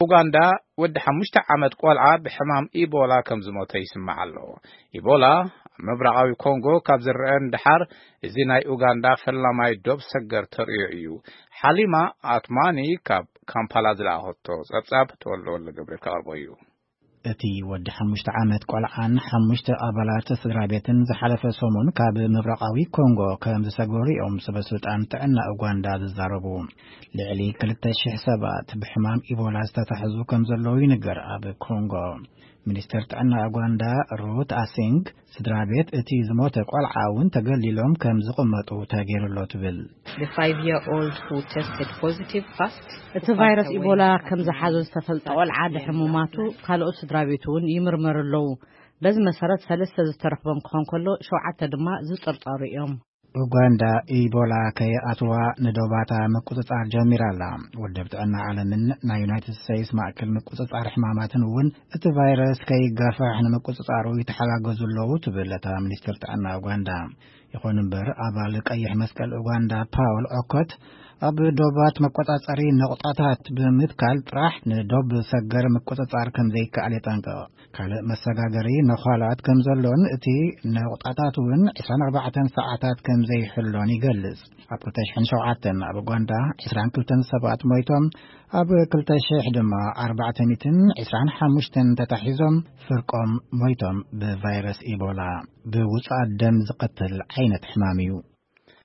ኡጋንዳ፣ ወዲ ሓሙሽተ ዓመት ቆልዓ ብሕማም ኢቦላ ከም ዝሞተ ይስማዕ ኣሎ። ኢቦላ ኣብ ምብራቓዊ ኮንጎ ካብ ዝረአ ንደሓር፣ እዚ ናይ ኡጋንዳ ፈላማይ ዶብ ሰገር ተርእዮ እዩ። ሓሊማ ኣትማኒ ካብ ካምፓላ ዝለኣኸቶ ጸብጻብ ተወልደ ወልደ ገብርኤል ከቕርቦ እዩ። እቲ ወዲ ሓሙሽተ ዓመት ቆልዓን ሓሙሽተ ኣባላት ስድራ ቤትን ዝሓለፈ ሰሙን ካብ ምብራቓዊ ኮንጎ ከም ዝሰገሩ እዮም ሰበ ስልጣን ጥዕና ኡጋንዳ ዝዛረቡ። ልዕሊ ክልተ ሽሕ ሰባት ብሕማም ኢቦላ ዝተታሕዙ ከም ዘለዉ ይንገር ኣብ ኮንጎ። ሚኒስተር ጥዕና ኡጋንዳ ሩት ኣሲንግ፣ ስድራ ቤት እቲ ዝሞተ ቆልዓ እውን ተገሊሎም ከም ዝቕመጡ ተገይሩሎ ትብል። The five year old who tested positive first እቲ ቫይረስ ኢቦላ ከም ዝሓዞ ዝተፈልጠ ቆልዓ ድሕሪ ምማቱ፣ ካልኦት ስድራ ቤቱ እውን ይምርመሩ ኣለዉ። በዚ መሰረት ሰለስተ ዝተረኽቦም ክኾን ከሎ፣ ሸውዓተ ድማ ዝጥርጠሩ እዮም። ኡጋንዳ ኢቦላ ከይኣትዋ ንዶባታ ምቁጽጻር ጀሚራ ኣላ። ውድብ ጥዕና ዓለምን ናይ ዩናይትድ ስቴትስ ማእከል ምቁጽጻር ሕማማትን እውን እቲ ቫይረስ ከይጋፋሕ ንምቁጽጻሩ ይተሓጋገዙ ኣለዉ ትብል እታ ሚኒስትር ጥዕና ኡጋንዳ። ይኹን እምበር፣ ኣባል ቀይሕ መስቀል ኡጋንዳ ፓውል ዖኮት፣ ኣብ ዶባት መቆጻጸሪ ነቑጣታት ብምትካል ጥራሕ ንዶብ ሰገር ምቁጽጻር ከም ዘይከኣል የጠንቅቕ። ካልእ መሰጋገሪ ነዃላት ከም ዘሎን እቲ ነቑጣታት እውን ዕስራን ኣርባዕተን ሰዓታት ከም ዘይሕሎን ይገልጽ። ኣብ ክልተ ሽሕን ሸውዓተን ኣብ ኡጋንዳ ዕስራን ክልተን ሰባት ሞይቶም፣ ኣብ ክልተ ሽሕ ድማ ኣርባዕተ ሚእትን ዕስራን ሓሙሽተን ተታሒዞም፣ ፍርቆም ሞይቶም። ብቫይረስ ኢቦላ ብውጹኣት ደም ዝቐትል ዓይነት ሕማም እዩ።